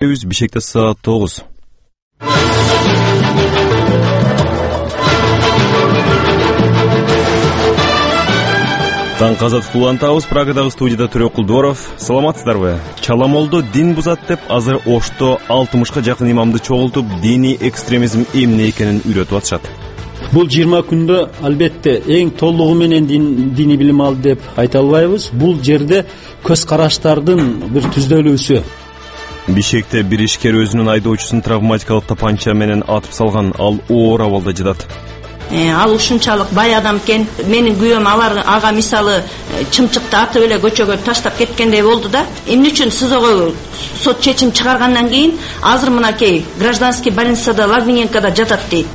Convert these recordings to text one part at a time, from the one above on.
Бишкекте саат 9. Таң казат улантабыз. Прагадагы студияда Төрөк Кулдоров. Саламатсыздарбы? Чаламолду дин бузат деп азыр Ошто 60га жакын имамды чогултуп, диний экстремизм эмне экенин үйрөтүп атышат. Бул 20 күндө албетте эң толугу менен диний билим алды деп айта албайбыз. Бул жерде көз караштардын бир түздөлүүсү. Бишкекте бир ишкер өзүнүн айдоочусун травматикалык тапанча менен атып салган. Ал оор абалда жатат. Ал ушунчалык бай адам экен. Менин күйөөм ага мисалы чымчыкты атып эле көчөгө таштап кеткендей болду да. Эмне үчүн СИЗОго сот чечим чыгаргандан кийин азыр мынакей гражданский больницада Лагвиненкода жатат дейт.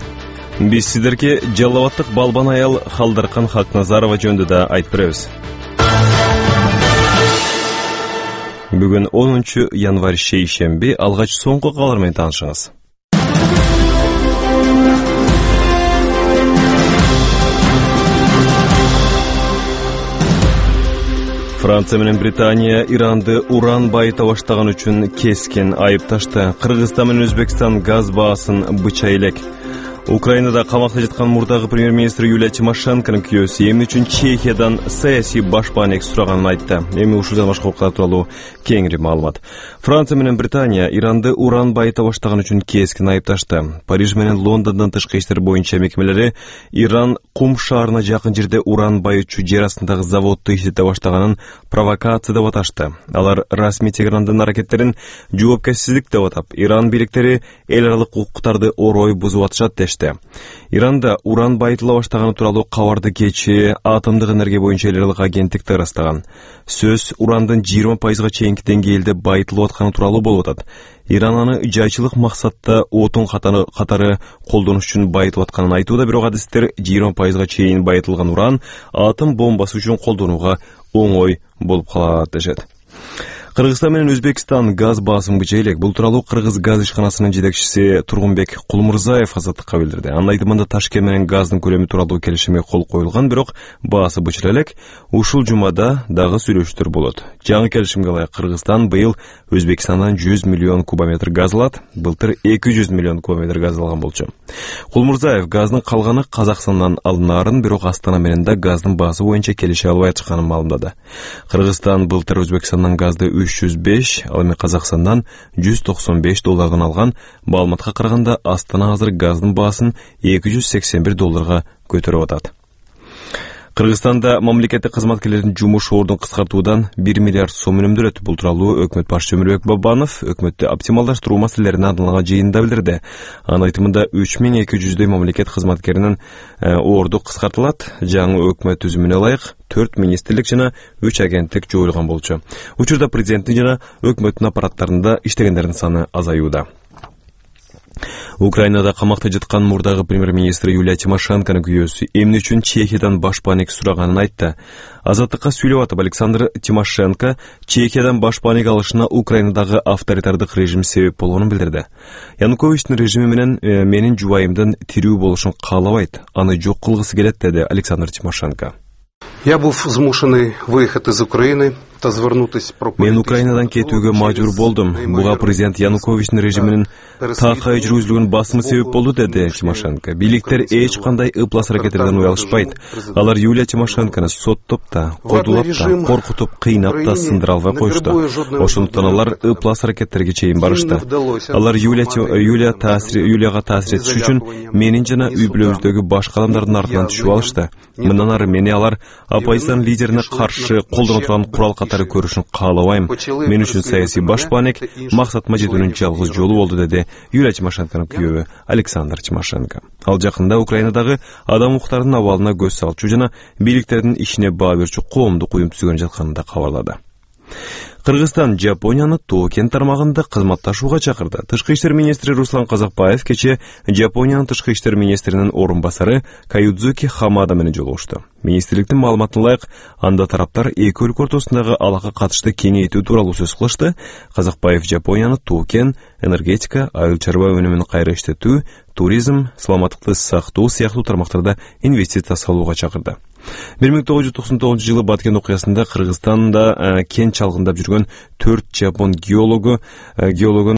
Биз сиздерге Жалал Абадтык балбан аял Халдаркан Хакназарова жөнүндө да айтып беребиз. Бүгүн 10 январь шейшемби. Алгач соңку кабарлар менен таанышыңыз. Франция менен Британия Иранды уран байыта баштаган үчүн кескен айыпташты. Кыргызстан менен Өзбекстан газ баасын быча элек. Украинада камакта жаткан мурдагы премьер-министр Юлия Тимошенконун күйөөсү эмне үчүн Чехиядан саясий башпаанек сураганын айтты. Эми ушундан башка окуялар тууралуу кеңири маалымат. Франция менен Британия Иранды уран байыта баштаган үчүн кескен айыпташты. Париж менен Лондондун тышкы иштер боюнча мекемелери Иран Кум шаарына жакын жерде уран байытчу жер астындагы заводду иштете баштаганын провокация деп аташты. Алар расмий Тегерандын аракеттерин жоопкерсиздик деп атап, Иран бийликтери эл аралык укуктарды орой бузуп атышат дешти. Иранда уран байытыла баштаганы тууралуу кабарды кечээ Атомдук энергия боюнча эл аралык агенттик ырастаган. Сөз урандын 20% чейинки деңгээлде байытылып атканы тууралуу болуп атат. Иран аны жайчылык максатта отун катары колдонуш үчүн байытып атканын айтууда, бирок адистер 20% чейин байытылган уран атом бомбасы үчүн колдонууга оңой болуп калат дешет. Кыргызстан менен Өзбекстан газ баасын быча элек. Бул тууралуу Кыргыз газ ишканасынын жетекчиси Тургунбек Кулмурзаев Азаттыкка билдирди. Анын айтымында Ташкент менен газдын көлөмү тууралуу келишимге кол коюлган, бирок баасы быча элек. Ушул жумада дагы сүйлөшүүлөр болот. Жаңы келишимге ылайык Кыргызстан быйыл Өзбекстандан 100 миллион кубометр газ алат. Былтыр 200 миллион кубометр газ алган болчу. Кулмурзаев газдын калганы Казакстандан алынаарын, бирок Астана менен да газдын баасы боюнча келише албай чыкканын маалымдады. Кыргызстан былтыр Өзбекстандан газды 305, ал эми Казакстандан $195 алган. Маалыматка караганда Астана азыр газдын баасын $281 көтөрүп атат. Кыргызстанда мамлекеттик кызматкерлердин жумуш ордун кыскартуудан 1 миллиард сом үнөмдөлөт. Бул тууралуу өкмөт башчысы Өмүрбек Бабанов өкмөттү оптималдаштыруу маселелерине арналган жыйында билдирди. Анын айтымында 3200 мамлекет кызматкеринин орду кыскартылат. Жаңы өкмөт түзүмүнө ылайык 4 министрлик жана 3 агенттик жоюлган болчу. Учурда президенттин жана өкмөттүн аппараттарында иштегендердин саны азаюуда. Украинада камакта жаткан мурдагы премьер-министр Юлия Тимошенконун күйөөсү эмне үчүн Чехиядан башпаанек сураганын айтты. Азаттыкка сүйлөп атып Александр Тимошенко Чехиядан башпаанек алышына Украинадагы авторитардык режим себеп болгонун билдирди. Януковичтин режими менен менин жубайымдын тирүү болушун каалабайт, аны жок кылгысы келет, деди Александр Тимошенко. Я был змушеный выехать из Украины. Мен Украинадан кетүүгө мажбур болдум. Буга президент Януковичтин режиминин такай жүргүзүлгөн басымы себеп болду, деди Тимошенко. Бийликтер эч кандай ыплас аракеттерден уялышпайт. Алар Юлия Тимошенкону соттоп да, кодулап да, коркутуп, кыйнап да сындыра албай коюшту. Ошондуктан алар ыплас аракеттерге чейин барышты. Алар Юлияга таасир этиш үчүн менин жана үй бүлөбүздөгү башка адамдардын артынан түшүп алышты. Мындан ары мени алар оппозициянын лидерине каршы колдоно турган курал катары көрүшүн каалабайм. Мен үчүн саясий башпаанек максатыма жетүүнүн жалгыз жолу болду, деди Юлия Тимошенконун күйөөбү Александр Тимошенко. Ал жакында Украинадагы адам укуктарынын абалына көз салчу жана бийликтердин ишине баа берчү коомдук уюм түзгөн жатканын да кабарлады. Кыргызстан Жапонияны Токен тармагында кызматташууга чакырды. Тышкы иштер министри Руслан Казакбаев кече Жапониянын тышкы иштер министринин орун басары Каюдзуки Хамада менен жолугушту. Министрликтин маалыматына ылайык, анда тараптар эки өлкө ортосундагы алака катышты кеңейтүү тууралуу сөз кылышты. Казакбаев Жапонияны Токен, энергетика, айыл чарба өнүмүн кайра иштетүү, туризм, саламаттыкты сактоо сыяктуу тармактарда инвестиция салууга чакырды. 1999 жылы Баткен окуясында Кыргызстанда кен чалгындап жүргөн 4 жапон геологу